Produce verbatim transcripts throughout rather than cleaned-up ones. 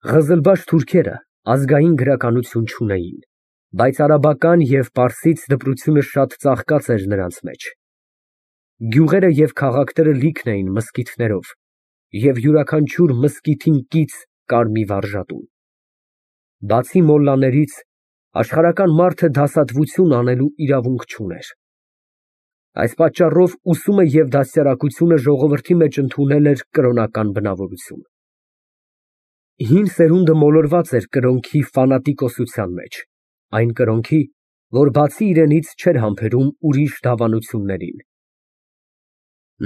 Ղզլբաշ թուրքերը ազգային գրականություն չունեին, բայց արաբական և պարսից դպրությունը շատ ծաղկած էր նրանց մեջ։ Գյուղերը և քաղաքները լիքն էին մզկիթներով, և յուրաքանչյուր մզկիթին կից կար մի վարժատուն։ Բացի մոլլաներից, աշխարհական մարդը դասատվություն անելու իրավունք չուներ։ Այս պատճառով ուսումը և դաստիարակությունը ժողովրդի մեջ ընդունել էր կրոնական բնավորություն։ Հին սերունդը մոլորված էր կրոնքի ֆանատիկոսության մեջ, այն կրոնքի, որ բացի իրենից չէր համբերում ուրիշ դավանություններին։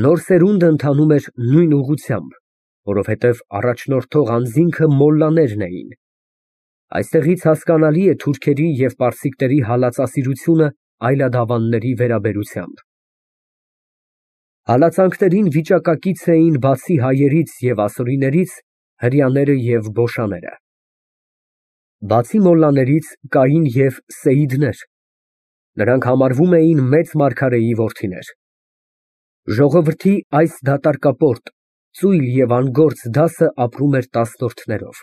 Նոր սերունդը ընթանում էր նույն ուղղությամբ, որովհետև առաջնորդող անձինքը մոլլաներն էին։ Այստեղից հասկանալի է թուրքերի և պարսիկների հալածասիրությունը այլադավանների վերաբերությամբ։ Հալածանքներին վիճակակից էին բացի հայերից և ասորիներից հրեաները և բոշաները։ Բացի մոլլաներից կային և սեյիդներ, նրանք համարվում էին մեծ մարգարեի որդիներ։ Ժողովրդի այս դատարկապորտ, ծույլ և անգործ դասը ապրում էր տասնորդներով,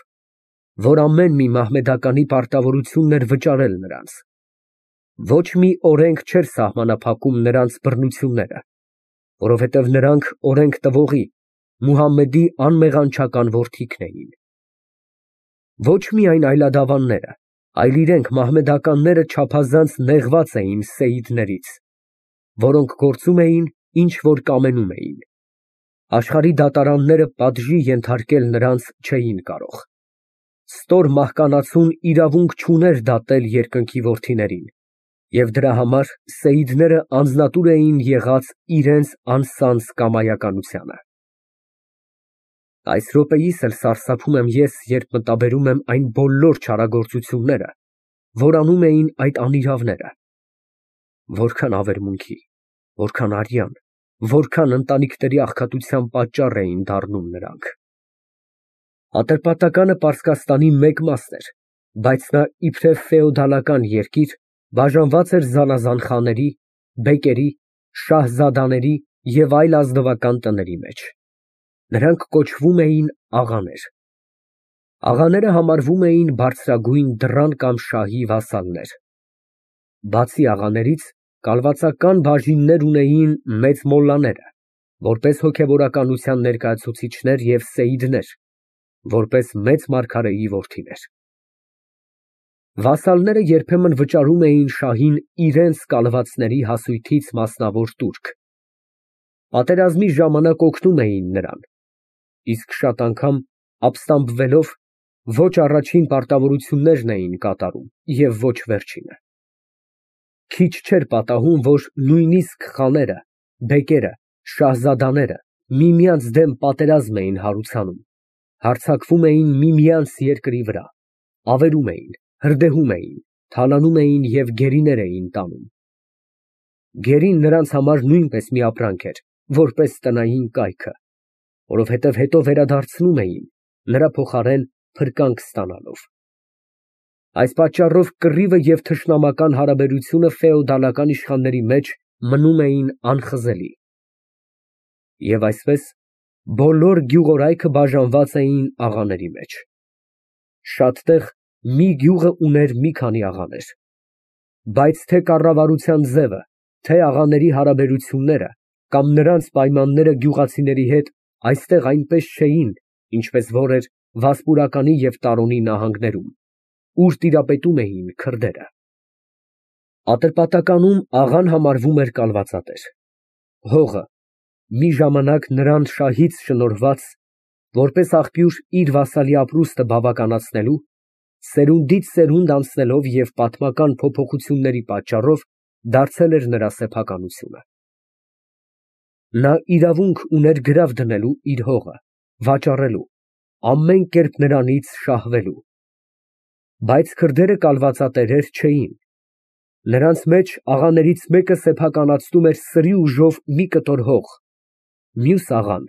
որ ամեն մի մահմեդականի պարտավորությունն էր վճարել նրանց։ Ոչ մի օրենք չէր սահմանափակում նրանց բռնությունները, որովհետև նրանք օրենք տվողի՝ Մուհամմեդի անմեղանչական որդիքն էին։ Ոչ միայն այլադավանները, այլ իրենք մահմեդականները չափազանց նեղված էին սեյիդներից, որոնք գործում էին, ինչ որ կամենում էին։ Աշխարհի դատարանները պատժի ենթարկել նրանց չէին կարող։ Ստոր մահկանացուն իրավունք չուներ դատել երկնքի որդիներին, և դրա համար սեյիդները անձնատուր էին եղած իրենց անսանձ կամայականությանը։ Այս րոպեիս էլ սարսափում եմ ես, երբ մտաբերում եմ այն բոլոր չարագործությունները, որ անում էին այդ անիրավները։ Որքան ավերմունքի, որքան արյան, որքան ընտանիքների աղքատության պատճառ էին դառնում նրանք։ Ատրպատականը Պարսկաստանի մեկ մասն էր, բայց նա իբրև ֆեոդալական երկիր բաժանված էր զանազան խաների, բեկերի, շահզադաների և այլ ազնվական տների մեջ։ Նրանք կոչվում էին աղաներ։ Աղաները համարվում էին բարձրագույն դռան կամ շահի վասալներ։ Բացի աղաներից, կալվածական բաժիններ ունեին մեծ մոլլաները, որպես հոգևորականության ներկայացուցիչներ և սեյիդներ, որպես մեծ մարգարեի որդիներ։ Վասալները երբեմն վճարում էին շահին իրենց կալվածների հասույթից մասնավոր տուրք։ Պատերազմի ժամանակ օգնում էին նրան, իսկ շատ անգամ ապստամբվելով ոչ առաջին պարտավորություններն էին կատարում և ոչ վերջինը։ Քիչ չէր պատահում, որ նույնիսկ խաները, բեկերը, շահզադաները միմյանց դեմ պատերազմ էին հարուցանում, հարձակվում էին միմյանց երկրի վրա, ավերում էին, հրդեհում էին, թալանում էին և գերիներ էին տանում։ Գերին նրանց համար նույնպես մի ապրանք էր, որպես տնային կայքը, որովհետև հետո վերադարձնում էին, նրա փոխարեն փրկանք ստանալով։ Այս պատճառով կռիվը և թշնամական հարաբերությունը ֆեոդալական իշխանների մեջ մնում էին անխզելի։ Եվ այսպես, բոլոր գյուղորայքը բաժանված էին աղաների մեջ։ Շատ տեղ մի գյուղը ուներ մի քանի աղաներ։ Բայց թե կառավարության ձևը, թե աղաների հարաբերությունները կամ նրանց պայմանները գյուղացիների հետ այստեղ այնպես չէին, ինչպես որ էր Վասպուրականի և Տարոնի նահանգներում, ուր տիրապետում էին քրդերը։ Ատրպատականում աղան համարվում էր կալվածատեր։ Հողը մի ժամանակ նրան շահից շնորհված, որպես աղբյուր իր վասալի ապրուստը բավականացնելու, սերունդից սերունդ անցնելով և պատմական փոփոխությունների պատճառով դարձել էր նրա սեփականությունը։ Նա իրավունք ուներ գրավ դնելու իր հողը, վաճառելու, ամեն կերպ նրանից շահվելու։ Բայց քրդերը կալվածատերեր չէին։ Նրանց մեջ աղաներից մեկը սեփականացնում էր սրի ուժով մի կտոր հող, մյուս աղան,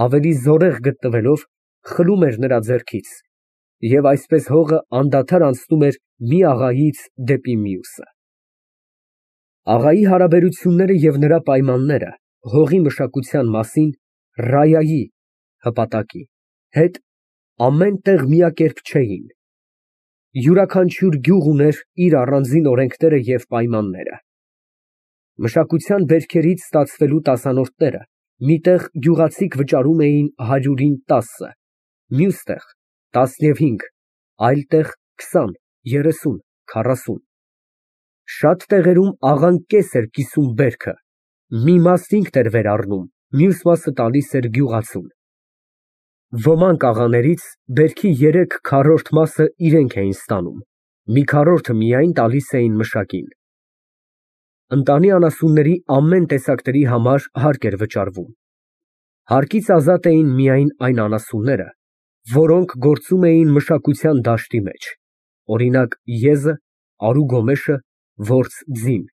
ավելի զորեղ գտնվելով, խլում էր նրա ձեռքից, և այսպես հողը անդադար անցնում էր մի աղայից դեպի մյուսը։ Աղայի հարաբերությունները և նրա պայմանները հողի մշակության մասին ռայայի (հպատակի) հետ ամեն տեղ միակերպ չէին։ Յուրաքանչյուր գյուղ ուներ իր առանձին օրենքները և պայմանները։ Մշակության բերքերից ստացվելու տասանորդները մի տեղ գյուղացիք վճարում էին հարյուրին տասը, մյուս տեղ տասնհինգ, այլ տեղ քսան, երեսուն, քառասուն։ Շատ տեղերում աղան կես էր կիսում բերքը, մի մասն ինքն էր վերառնում, մյուս մասը տալիս էր գյուղացուն։ Ոմանք աղաներից բերքի երեք քառորդ մասը իրենք էին ստանում, մի քառորդը միայն տալիս էին մշակին։ Ընտանի անասունների ամեն տեսակների համար հարկ էր վճարվում։ Հարկից ազատ էին միայն այն անասունները, որոնք գործում էին մշակության դաշտի մեջ, օրինակ եզը, արու գոմեշը, որց ձին,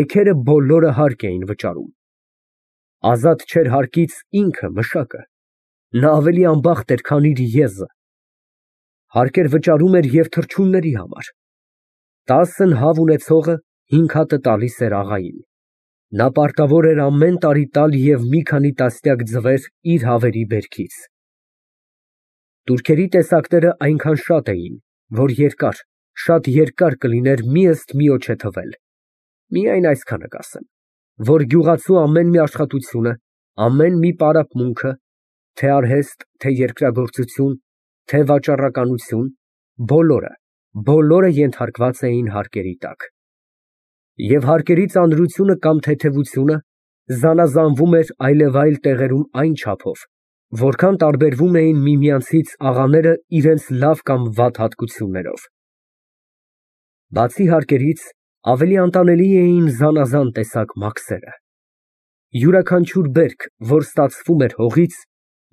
էգերը բոլորը հարկ էին վճարում։ Ազատ չէր հարկից ինքը մշակը, նա ավելի անբախտ էր, քան իր եզը։ Հարկ էր վճարում և թռչունների համար։ Տասն հավ ունեցողը հինգ հատը տալիս էր աղային։ Նա պարտավոր էր ամեն տարի տալ և մի քանի տասնյակ ձվեր իր հավերի բերքից։ Տուրքերի տեսակները այնքան շատ էին, որ երկար, շատ երկար կլիներ մի ըստ միոջե թվել, միայն այսքանը կասեմ, որ գյուղացու ամեն մի աշխատությունը, ամեն մի պարապմունքը, թե արհեստ, թե երկրագործություն, թե վաճառականություն, բոլորը, բոլորը ենթարկված էին հարկերի տակ։ Եվ հարկերի ծանրությունը կամ թեթևությունը զանազանվում էր այլևայլ տեղերում այն չափով, որքան տարբերվում էին միմյանցից աղաները իրենց լավ կամ վատ հատկություններով։ Բացի հարկերից, ավելի անտանելի էին զանազան տեսակ մաքսերը։ Յուրաքանչյուր բերք, որ ստացվում էր հողից,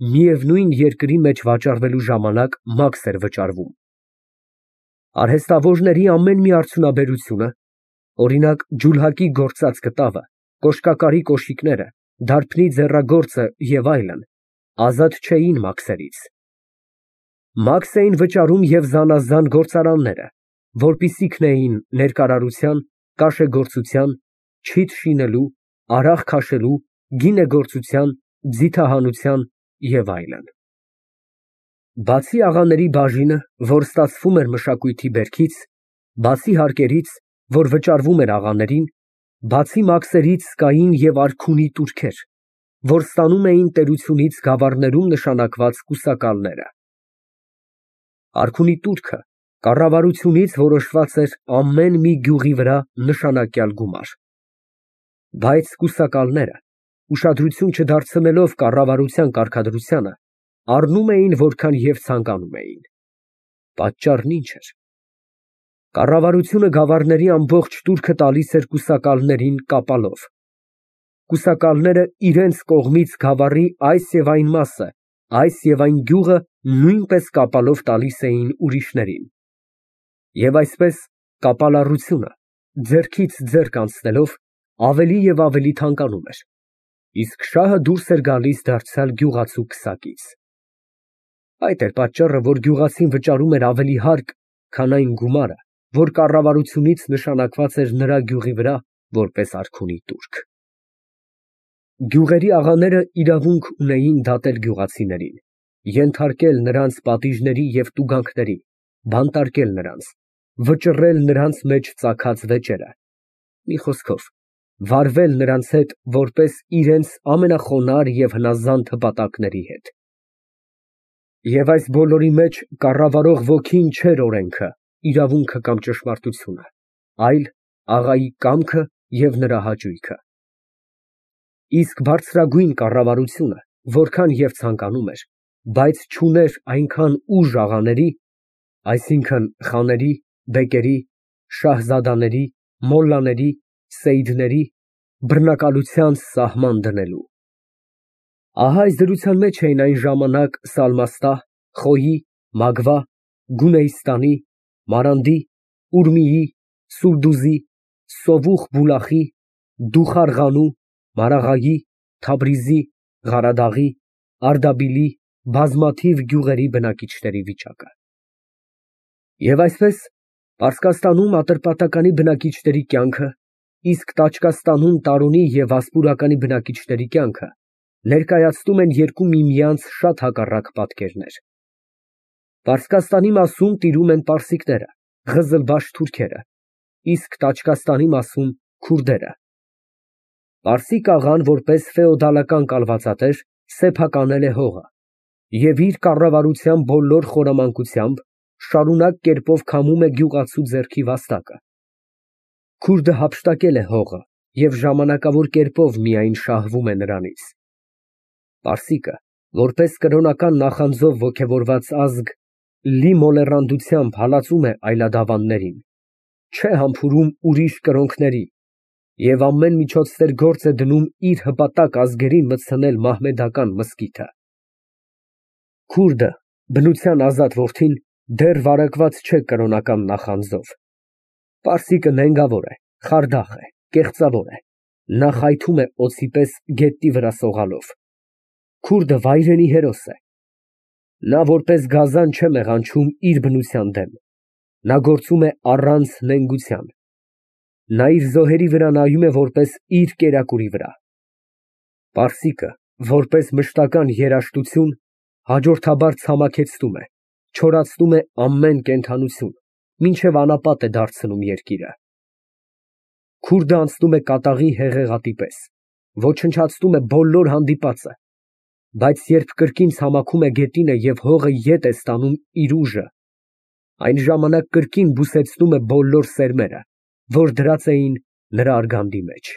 միևնույն երկրի մեջ վաճառվելու ժամանակ մաքս էր վճարվում։ Արհեստավորների ամեն մի արդյունաբերությունը, օրինակ ջուլհակի գործած կտավը, կոշկակարի կոշիկները, դարբնի ձեռագործը և այլն, ազատ չէին մաքսերից։ Մաքս էին վճարում և զանազան գործարանները, որպիսիքն էին ներկարարության, կաշեգործության, չիթ շինելու, արաղ քաշելու, գինեգործության, ձիթահանության և այլն։ Բացի աղաների բաժինը, որ ստացվում էր մշակույթի բերքից, բացի հարկերից, որ վճարվում էր աղաներին, բացի մաքսերից կային և արքունի տուրքեր, որ ստանում էին տերությունից գավառներում նշանակված կուսակալները։ Արքունի տուրքը կառավարությունից որոշված էր ամեն մի գյուղի վրա նշանակյալ գումար։ Բայց կուսակալները, ուշադրություն չդարձնելով կառավարության կարգադրությանը, առնում էին որքան և ցանկանում էին։ Պատճառն ի՞նչ էր։ Կառավարությունը գավառների ամբողջ տուրքը տալիս էր կուսակալներին կապալով։ Կուսակալները իրենց կողմից գավառի այս և այն մասը, այս և այն գյուղը նույնպես կապալով տալիս էին ուրիշներին։ Եվ այսպես կապալառությունը, ձեռքից ձեռք անցնելով, ավելի և ավելի թանկանում էր, իսկ շահը դուրս էր գալիս դարձյալ գյուղացու քսակից։ Այդ էր պատճառը, որ գյուղացին վճարում էր ավելի հարկ, քան այն գումարը, որ կառավարությունից նշանակված էր նրա գյուղի վրա որպես արքունի տուրք։ Գյուղերի աղաները իրավունք ունեին դատել գյուղացիներին, ենթարկել նրանց պատիժների և տուգանքների, բանտարկել նրանց, վճռել նրանց մեջ ծագած վեճերը, մի խոսքով, վարվել նրանց հետ որպես իրենց ամենախոնարհ և հնազանդ հպատակների հետ։ Եվ այս բոլորի մեջ կառավարող ոգին չէր օրենքը, իրավունքը կամ ճշմարտությունը, այլ աղայի կամքը և նրա հաճույքը։ Իսկ բարձրագույն կառավարությունը որքան և ցանկանում էր, բայց չուներ այնքան ուժ աղաների, այսինքն խաների, բեկերի, շահզադաների, մոլլաների, սեյդների, բռնակալության սահման դնելու։ Ահա այս դրության մեջ էին այն ժամանակ Սալմաստահ, Խոյի, Մագվա, Գունեյստանի, Մարանդի, Ուրմիի, Սուլդուզի, Սովուխ Բուլախի, Դուխարղանու, Մարաղայի, Թաբրիզի, Ղարադաղի, Արդաբիլի բազմաթիվ գյուղերի բնակիչների վիճակը։ Եվ այսպես, Պարսկաստանում Ատրպատականի բնակիչների կյանքը, իսկ Տաճկաստանում Տարոնի և Վասպուրականի բնակիչների կյանքը ներկայացնում են երկու միմյանց շատ հակառակ պատկերներ։ Պարսկաստանի մասում տիրում են պարսիկները, ղզլբաշ թուրքերը, իսկ Տաճկաստանի մասում քուրդերը։ Պարսիկ աղան, որպես ֆեոդալական կալվածատեր, սեփականել է հողը և իր կառավարության բոլոր խորամանկությամբ շարունակ կերպով քամում է գյուղացու ձեռքի վաստակը։ Քուրդը հափշտակել է հողը և ժամանակավոր կերպով միայն շահվում է նրանից։ Պարսիկը, որպես կրոնական նախանձով ոգևորված ազգ, լի մոլեռանդությամբ հալածում է այլադավաններին, չէ համբուրում ուրիշ կրոնքների և ամեն միջոցներ գործ է դնում իր հպատակ ազգերին մտցնել մահմեդական մզկիթը։ Քուրդը, բնության ազատ որդին, դեռ վարակված չէ կրոնական նախանձով։ Պարսիկը նենգավոր է, խարդախ է, կեղծավոր է, նա խայթում է օձի պես գետնի վրա սողալով։ Քուրդը վայրենի հերոս է։ Նա որպես գազան չէ մեղանչում իր բնության դեմ, նա գործում է առանց նենգության։ Նա իր զոհերի վրա նայում է որպես իր կերակուրի վրա։ Պարսիկը, որպես մշտական երաժշտություն, հաջորդաբար ցամաքեցնում է, չորացնում է ամեն կենդանություն, մինչև անապատ է դարձնում երկիրը։ Քուրդը անցնում է կատաղի հեղեղատի պես, ոչնչացնում է բոլոր հանդիպածը, բայց երբ կրկին ցամաքում է գետինը և հողը ետ է ստանում իր ուժը, այն ժամանակ կրկին բուսեցնում է բոլոր սերմերը, որ դրած էին նրա արգանդի մեջ։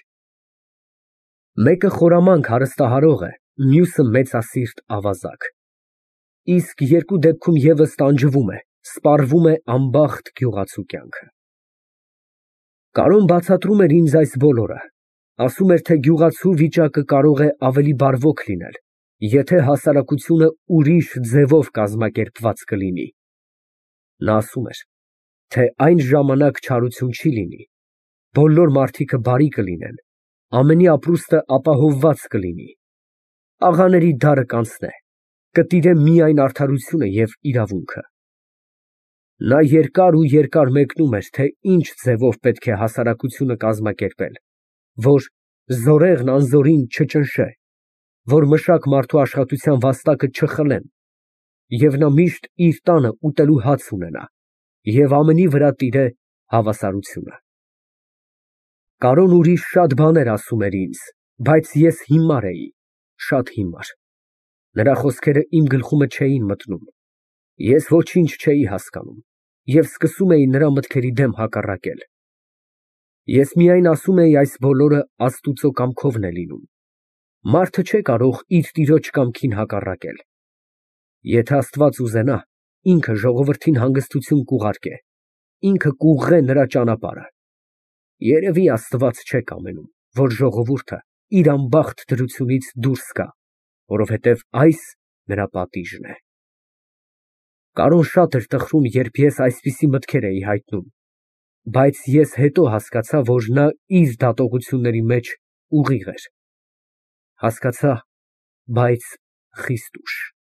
Մեկը խորամանկ հարստահարող է, մյուսը մեծասիրտ ավազակ, իսկ երկու դեպքում ևս տանջվում է, սպառվում է անբախտ գյուղացու կյանքը։ Կարոն բացատրում էր ինձ այս բոլորը, ասում էր, թե գյուղացու վիճակը կարող է ավելի բարվոք լինել, եթե հասարակությունը ուրիշ ձևով կազմակերպված կլինի։ Նա ասում էր, թե այն ժամանակ չարություն չի լինի, բոլոր մարդիկը բարի կլինեն, ամենի ապրուստը ապահովված կլինի, աղաների դարը կանցնե, կտիրե միայն արդարությունը և իրավունքը։ Նա երկար ու երկար մեկնում էր, թե ինչ ձևով պետք է հասարակությունը կազմակերպել, որ զորեղն անզորին չճնշե, որ մշակ մարդու աշխատության վաստակը չխլեն, և նա միշտ իր տանը ուտելու հաց ունենա և ամենի վրա տիրե հավասարությունը։ Կարոն ուրիշ շատ բաներ ասում էր ինձ, բայց ես հիմար էի, շատ հիմար, նրա խոսքերը իմ գլխումը չէին մտնում, ես ոչինչ չէի հասկանում և սկսում էի նրա մտքերի դեմ հակառակել։ Ես միայն ասում էի այս բոլորը Աստուծո կամքովն է լինում, մարդը չէ կարող իր տիրոջ կամքին հակառակել։ Եթե Աստված ուզենա, ինքը ժողովրդին հանգստություն կուղարկե, ինքը կուղղե նրա ճանապարհը։ Երևի Աստված չէ կամենում, որ ժողովուրդը իր անբախտ դրությունից դուրս գա, որովհետև այս նրա պատիժն է։ Կարոն շատ էր տխրում, երբ ես այսպիսի մտքեր էի հայտնում, բայց ես հետո հասկացա, որ նա իր դատողությունների մեջ ուղիղ էր։ Հասկացա, բայց խիստ ուշ։